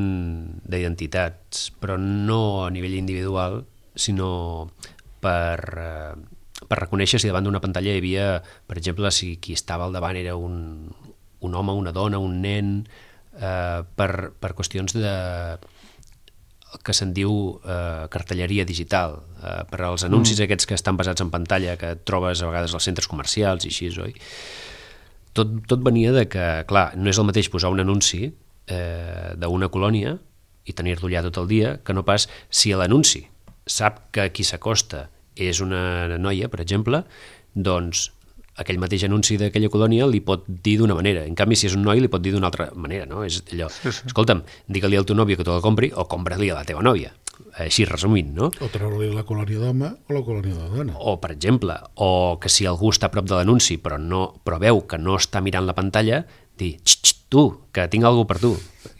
d'identitats, però no a nivell individual, sinó per reconèixer si davant d'una pantalla hi havia, per exemple, si qui estava al davant era un home, una dona, un nen, per qüestions de que se'n diu cartelleria digital, per als anuncis aquests que estan basats en pantalla, que trobes a vegades als centres comercials i així, oi? Tot venia de que, clar, no és el mateix posar un anunci d'una colònia i tenir-lo allà tot el dia, que no pas si l'anunci sap que qui s'acosta és una noia, per exemple, doncs aquell mateix anunci d'aquella colònia li pot dir d'una manera. En canvi, si és un noi, li pot dir d'una altra manera, no? És allò, escolta'm, digue-li al teu nòvio que te la compri o compra-li a la teva nòvia. Així resumint, no? O treure-li la colònia d'home o la colònia de dona. O, per exemple, o que si algú està a prop de l'anunci però veu que no està mirant la pantalla, dir, tu, que tinc alguna per tu.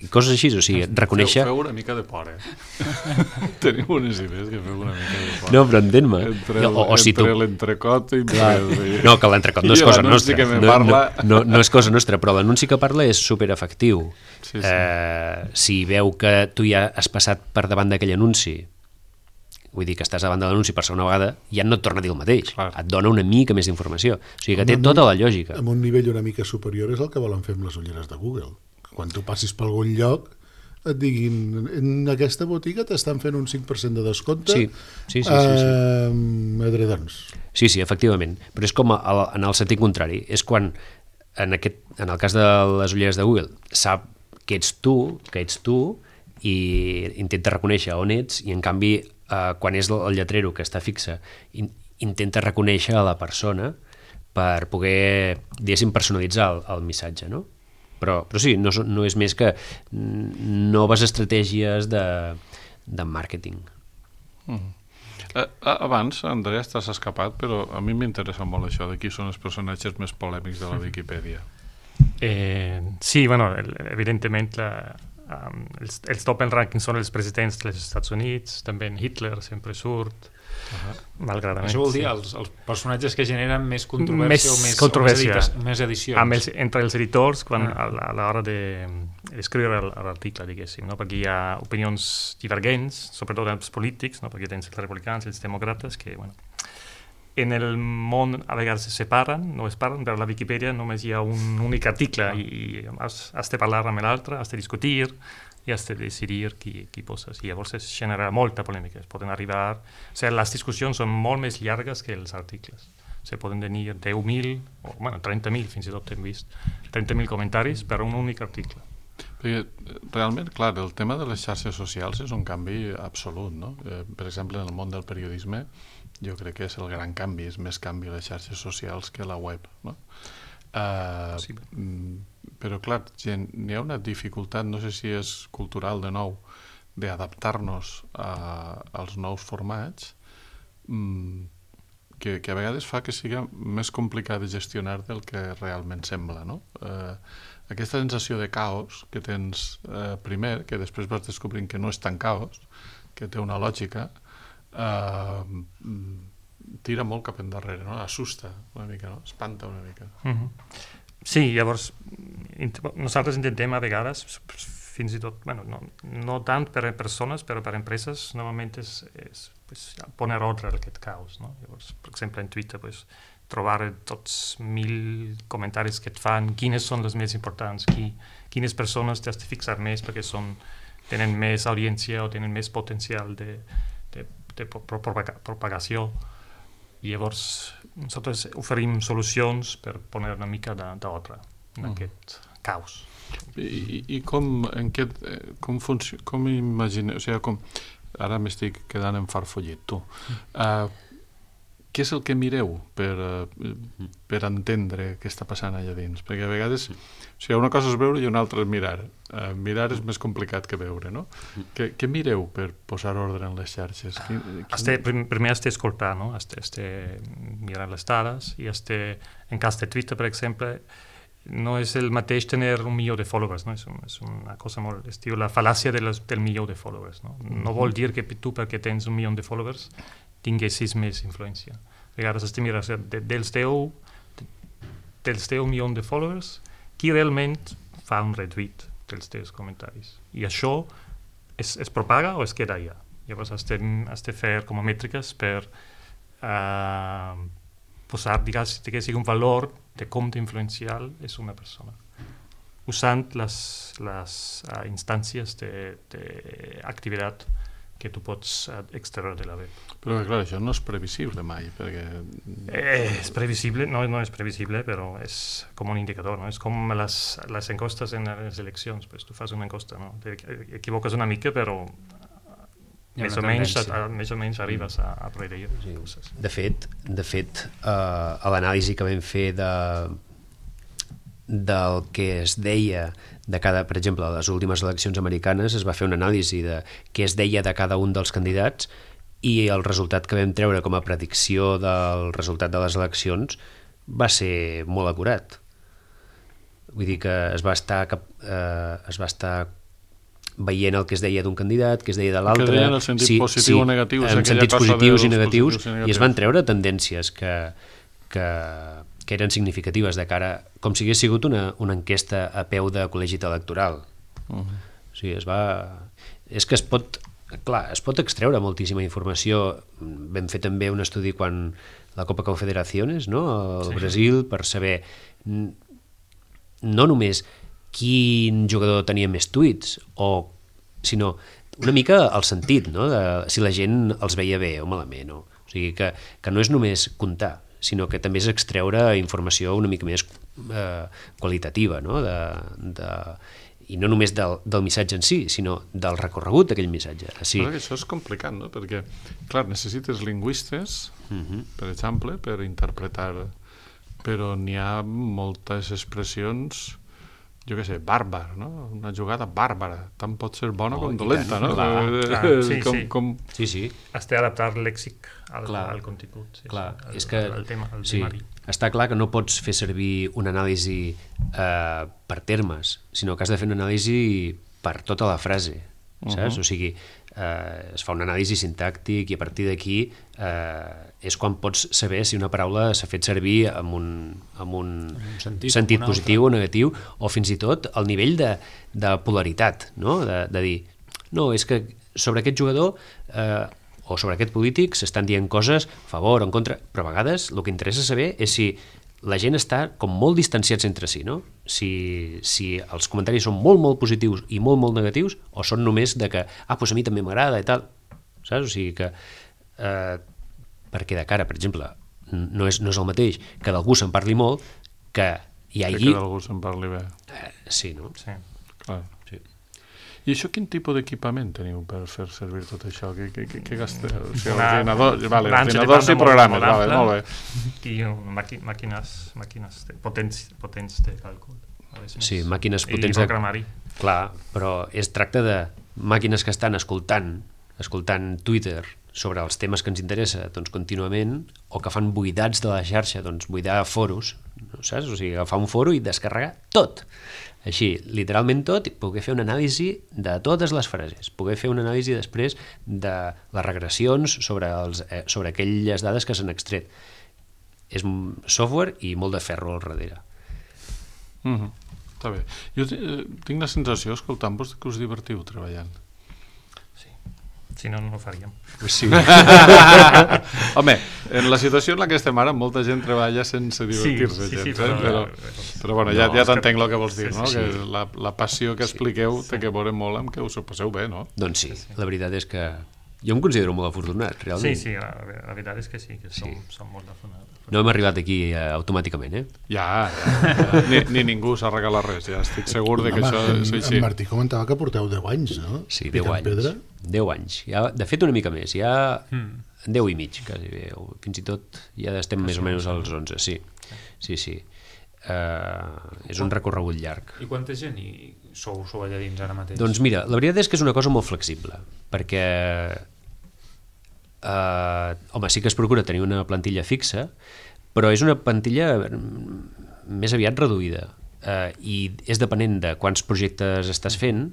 I coses així, o sigui, reconèixer... Feu una mica de por, Tenim unes idees que feu una mica de por. No, però entén-me. Entre l'entrecot i... No, que l'entrecot no és cosa nostra. No és cosa nostra, però l'anunci que parla és superefectiu. Si veu que tu ja has passat per davant d'aquell anunci, vull dir que estàs davant de l'anunci per segona vegada, ja no et torna a dir el mateix. Et dona una mica més d'informació. O sigui que té tota la lògica. Amb un nivell una mica superior és el que volen fer amb les ulleres de Google. Quan tu passis per algun lloc et diguin en aquesta botiga t'estan fent un 5% de descompte sí. edredons. Sí, efectivament, però és com en el sentit contrari, és quan en el cas de les ulleres de Google sap que ets tu i intenta reconèixer on ets, i en canvi quan és el lletrero que està fixe intenta reconèixer a la persona per poder, diguéssim, personalitzar el missatge, no? Però sí, no és més que noves estratègies de màrqueting. Abans, Andrea, t'has escapat, però a mi m'interessa molt això de qui són els personatges més polèmics de la Viquipèdia. Sí, bueno, evidentment els top en rànquing són els presidents dels Estats Units, també Hitler sempre surt, malgradament. Això vol dir els personatges que generen més controvèrsia o més edicions. Entre els editors a l'hora d'escriure l'article, diguéssim, no? Perquè hi ha opinions divergents, sobretot els polítics, no? Perquè tens els republicans i els demòcrates que, bueno, en el món a vegades se separen, no es parlen, però a la Viquipèdia només hi ha un únic article i has de parlar amb l'altre, has de discutir i has de decidir qui poses. I llavors es genera molta polèmica. Poden arribar... O sigui, les discussions són molt més llargues que els articles. Se poden tenir 10.000, o bueno, 30.000, fins i tot hem vist, 30.000 comentaris per un únic article. Perquè realment, clar, el tema de les xarxes socials és un canvi absolut, no? Per exemple, en el món del periodisme, jo crec que és el gran canvi, és més canvi les xarxes socials que la web, no? Sí. Però clar, n'hi ha una dificultat, no sé si és cultural de nou, d'adaptar-nos als nous formats, que a vegades fa que sigui més complicat de gestionar del que realment sembla, no? Aquesta sensació de caos que tens primer, que després vas descobrint que no és tan caos, que té una lògica, tira molt cap endarrere, no? Assusta una mica, no? Espanta una mica. Sí, llavors nosaltres intentem a vegades, fins i tot, bueno, no tant per a persones, però per a empreses, normalment és poner ordre a aquest caos, no? Llavors, per exemple, en Twitter, trobar tots 1.000 comentaris que et fan, quines són les més importants, quines persones t'has de fixar més perquè tenen més audiència o tenen més potencial de propagació. I llavors nosaltres oferim solucions per poner una mica d'ordre en aquest caos. I com imagineu, o sigui, ara m'estic quedant enfarfollit, tu. Què és el que mireu per entendre què està passant allà dins? Perquè a vegades, o sigui, una cosa és veure i una altra és mirar. Mirar és més complicat que veure, no? Què mireu per posar ordre en les xarxes? Primer has d'escoltar, no? Has de mirar les dades i en cas de Twitter, per exemple, no és el mateix tenir 1 milió de followers, no? És una cosa molt... Es diu la fal·làcia del milió de followers, no? No vol dir que tu, perquè tens 1 milió de followers, tinguessis més influència. A vegades has de mirar dels 10 milions de followers, qui realment fa un retweet dels teus comentaris. I això es propaga o es queda allà. Llavors has de fer com a mètriques per posar, diguéssim, un valor de com d'influencial és una persona, usant les instàncies d'activitat que tu pots extreure de la web. Però clar, això no és previsible mai, perquè... És previsible, no és previsible, però és com un indicador, no? És com les enquestes en les eleccions, pues tu fas una enquesta, no? T'equivoques una mica, però més o menys arribes a darrere. De fet, a l'anàlisi que vam fer del que es deia de cada, per exemple, a les últimes eleccions americanes es va fer una anàlisi de què es deia de cada un dels candidats i el resultat que vam treure com a predicció del resultat de les eleccions va ser molt acurat. Vull dir que es va estar veient el que es deia d'un candidat, que es deia de l'altre... Que deien el sentit positiu o negatiu. En sentits positius i negatius, i es van treure tendències que eren significatives de cara, com si hagués sigut una enquesta a peu de col·legi electoral. O sigui, és que es pot extreure moltíssima informació. Vam fer també un estudi quan la Copa Confederaciones, no? Al Brasil, per saber no només quin jugador tenia més tuits o sinó una mica el sentit, no? De si la gent els veia bé o malament. No? O sigui, que no és només comptar, sinó que també és extreure informació una mica més qualitativa, no? I no només del missatge en si, sinó del recorregut d'aquell missatge. Sí. Però això és complicat, no? Perquè, clar, necessites lingüistes, per exemple, per interpretar, però n'hi ha moltes expressions, jo què sé, bàrbar, no? Una jugada bàrbara, tant pot ser bona com dolenta, no? Sí. Has d'adaptar el lèxic al contingut. Clar, és que està clar que no pots fer servir una anàlisi per termes, sinó que has de fer una anàlisi per tota la frase, saps? O sigui, es fa una anàlisi sintàctic i a partir d'aquí és quan pots saber si una paraula s'ha fet servir amb un sentit positiu o negatiu, o fins i tot el nivell de polaritat, no? De dir, no, és que sobre aquest jugador o sobre aquest polític s'estan dient coses a favor o en contra, però a vegades el que interessa saber és si la gent està com molt distanciats entre si, no? Si els comentaris són molt, molt positius i molt, molt negatius, o són només de que, doncs a mi també m'agrada i tal, saps? O sigui que, perquè de cara, per exemple, no és el mateix que d'algú se'n parli molt, que hi hagi... Que d'algú se'n parli bé. Sí, no? Sí. Clar. Sí. I això quin tipus d'equipament teniu per fer servir tot això? Què gasteu? O sigui, ordinadors i programes, molt bé. I màquines potents de càlcul. Sí, màquines potents de... programari. Clar, però es tracta de màquines que estan escoltant Twitter sobre els temes que ens interessa contínuament, o que fan buidats de la xarxa, buidar foros, saps? O sigui, agafar un foro i descarregar tot. Així, literalment tot, i poder fer una anàlisi de totes les frases, poder fer una anàlisi després de les regressions sobre aquelles dades que s'han extret. És software i molt de ferro al darrere. Està bé. Jo tinc la sensació, escoltant-vos, que us divertiu treballant. Si no, no ho faríem. Sí. Home, en la situació en la que estem ara, molta gent treballa sense divertir-se. Sí, però bueno, ja t'entenc el que vols dir, no? Que la passió que expliqueu té que veure molt amb que us ho passeu bé, no? Doncs sí, la veritat és que jo em considero molt afortunat, realment. Sí, la veritat és que sí, que som molt afortunats. No hem arribat aquí automàticament, Ja. Ni ningú s'ha regalat res, ja estic segur de que això és així. En Martí comentava que porteu 10 anys, no? Sí, 10 anys. 10 anys. Ja, de fet, una mica més. Ja 10 i mig, quasi bé. Fins i tot ja estem més o menys als 11, sí. És un recorregut llarg. I quanta gent sou allà dins ara mateix? Doncs mira, la veritat és que és una cosa molt flexible, perquè home, sí que es procura tenir una plantilla fixa, però és una plantilla més aviat reduïda, i és depenent de quants projectes estàs fent.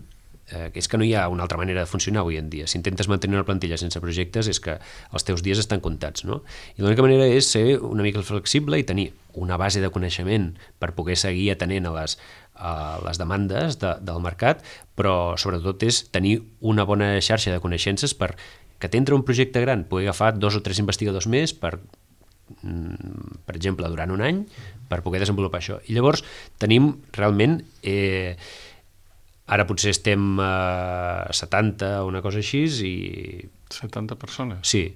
És que no hi ha una altra manera de funcionar avui en dia. Si intentes mantenir una plantilla sense projectes és que els teus dies estan comptats, no? I l'única manera és ser una mica flexible i tenir una base de coneixement per poder seguir atenent a les demandes del mercat, però sobretot és tenir una bona xarxa de coneixences per que t'entra un projecte gran, poder agafar 2 o 3 investigadors més per exemple, durant un any, per poder desenvolupar això. I llavors tenim realment... Ara potser estem a 70 o una cosa així i... 70 persones? Sí,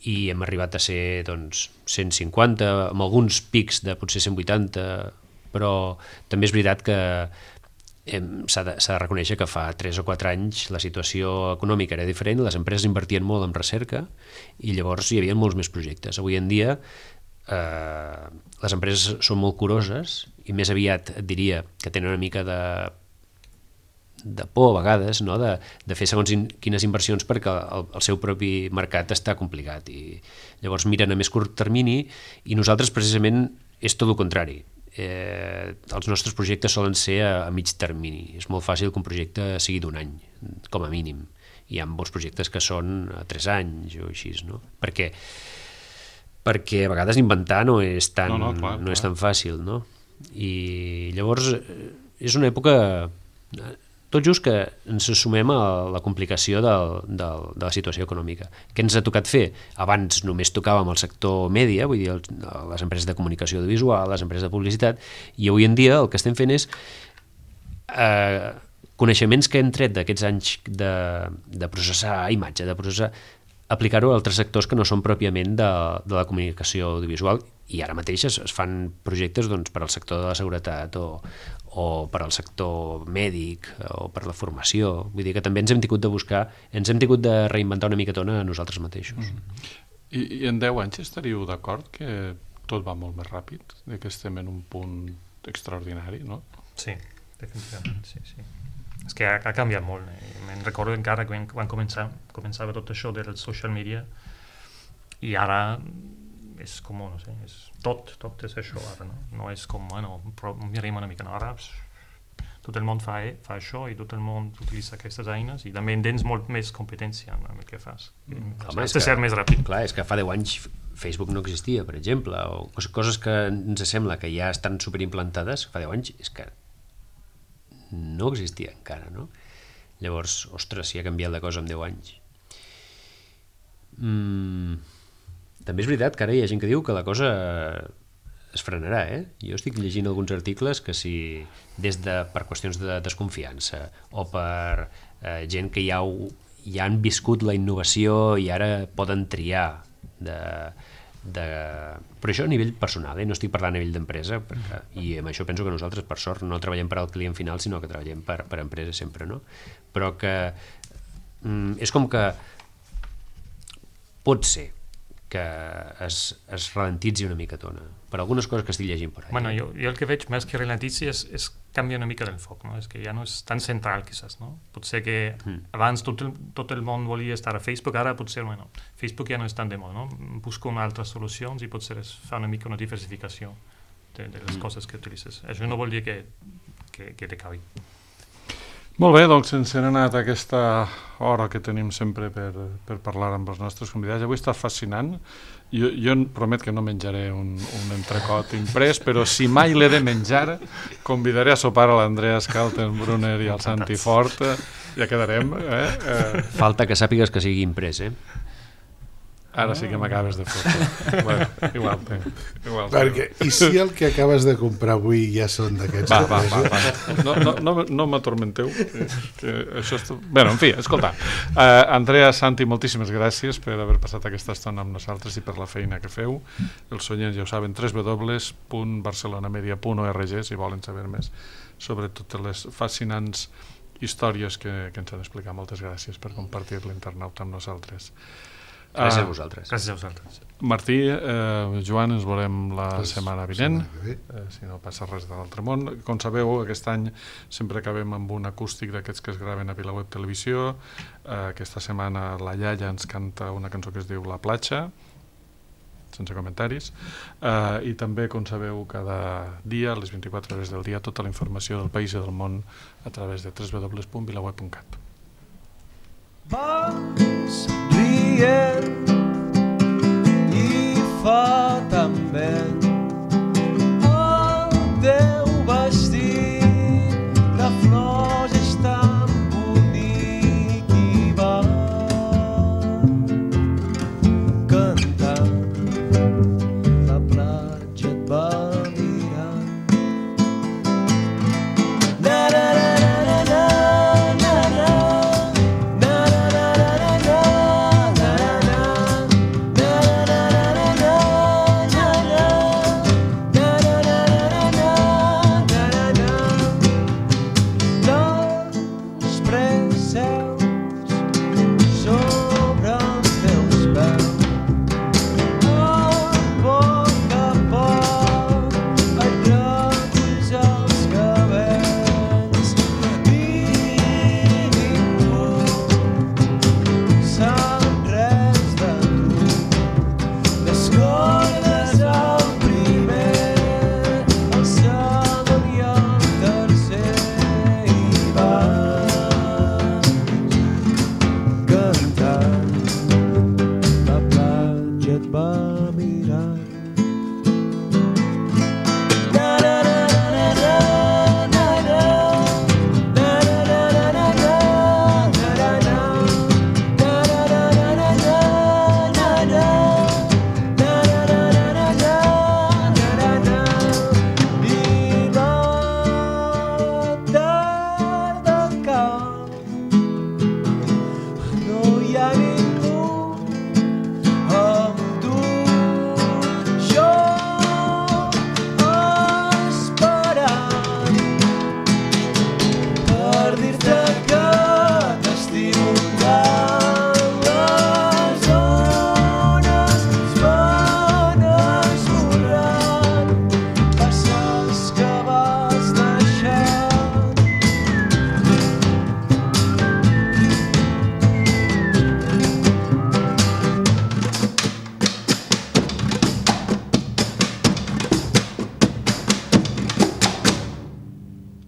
i hem arribat a ser 150, amb alguns pics de potser 180, però també és veritat que s'ha de reconèixer que fa 3 o 4 anys la situació econòmica era diferent, les empreses invertien molt en recerca i llavors hi havia molts més projectes. Avui en dia les empreses són molt curoses i més aviat et diria que tenen una mica de por a vegades, no? de fer segons quines inversions perquè el seu propi mercat està complicat i llavors miren a més curt termini i nosaltres precisament és tot el contrari. Els nostres projectes solen ser a mig termini. És molt fàcil que un projecte sigui d'un any, com a mínim. Hi ha molts projectes que són a 3 anys o així, no? Perquè a vegades inventar no és tan fàcil, no? I llavors és una època... Tot just que ens sumem a la complicació de la situació econòmica. Què ens ha tocat fer? Abans només tocàvem el sector mèdia, vull dir, les empreses de comunicació audiovisual, les empreses de publicitat, i avui en dia el que estem fent és coneixements que hem tret d'aquests anys de processar imatge, de processar, aplicar-ho a altres sectors que no són pròpiament de la comunicació audiovisual, i ara mateix es fan projectes doncs, per al sector de la seguretat o per al sector mèdic o per la formació. Vull dir que també ens hem tingut de buscar, ens hem tingut de reinventar una micatona a nosaltres mateixos. I en 10 anys estaríeu d'acord que tot va molt més ràpid, que estem en un punt extraordinari, no? Sí, definitivament, sí. És que ha canviat molt. Me'n recordo encara quan començava tot això del social media, i ara és com, no sé, tot és això ara, no? No és com, bueno, mirem una mica, no? Ara tot el món fa això i tot el món utilitza aquestes eines i també tens molt més competència en el que fas. Has de ser més ràpid. Clar, és que fa 10 anys Facebook no existia, per exemple, o coses que ens sembla que ja estan superimplantades, fa 10 anys és que no existia encara, no? Llavors, ostres, si ha canviat la cosa en 10 anys. També és veritat que ara hi ha gent que diu que la cosa es frenarà, Jo estic llegint alguns articles que si per qüestions de desconfiança o per gent que ja han viscut la innovació i ara poden triar però això a nivell personal, no estic parlant a nivell d'empresa, i amb això penso que nosaltres, per sort, no treballem per al client final, sinó que treballem per empresa sempre, no? Però que és com que pot ser que es ralentitzi una micatona per algunes coses que estic llegint per allà. Bueno, jo el que veig més que ralentitzi és canviar una mica del foc, no? És que ja no és tan central, quizás, no? Potser que abans tot el món volia estar a Facebook, ara potser, bueno, Facebook ja no és tan de moda, no? Busco altres solucions i potser es fa una mica una diversificació de les coses que utilitzes. Això no vol dir que te cabi. Molt bé, doncs ens hem anat a aquesta hora que tenim sempre per parlar amb els nostres convidats. Avui està fascinant. Jo promet que no menjaré un entrecot imprès, però si mai l'he de menjar, convidaré a sopar a l'Andreas Kaltenbrunner i al Santi Fort. Ja quedarem. Falta que sàpigues que sigui imprès, Ara sí que m'acabes de fotre. Bueno, igual. Perquè, i si el que acabes de comprar avui ja són d'aquests? Va. No m'atormenteu. Bueno, en fi, escolta. Andrea, Santi, moltíssimes gràcies per haver passat aquesta estona amb nosaltres i per la feina que feu. Els oients ja ho saben, www.barcelonamedia.org si volen saber més sobre totes les fascinants històries que ens han explicat. Moltes gràcies per compartir l'internauta amb nosaltres. Gràcies a vosaltres. Gràcies a vosaltres. Martí, Joan, ens veurem la setmana vinent, si no passa res de l'altre món. Com sabeu, aquest any sempre acabem amb un acústic d'aquests que es graven a VilaWeb Televisió. Aquesta setmana la iaia ens canta una cançó que es diu La platja, sense comentaris, i també, com sabeu, cada dia, a les 24 hores del dia, tota la informació del país i del món a través de www.vilaweb.cat. Rient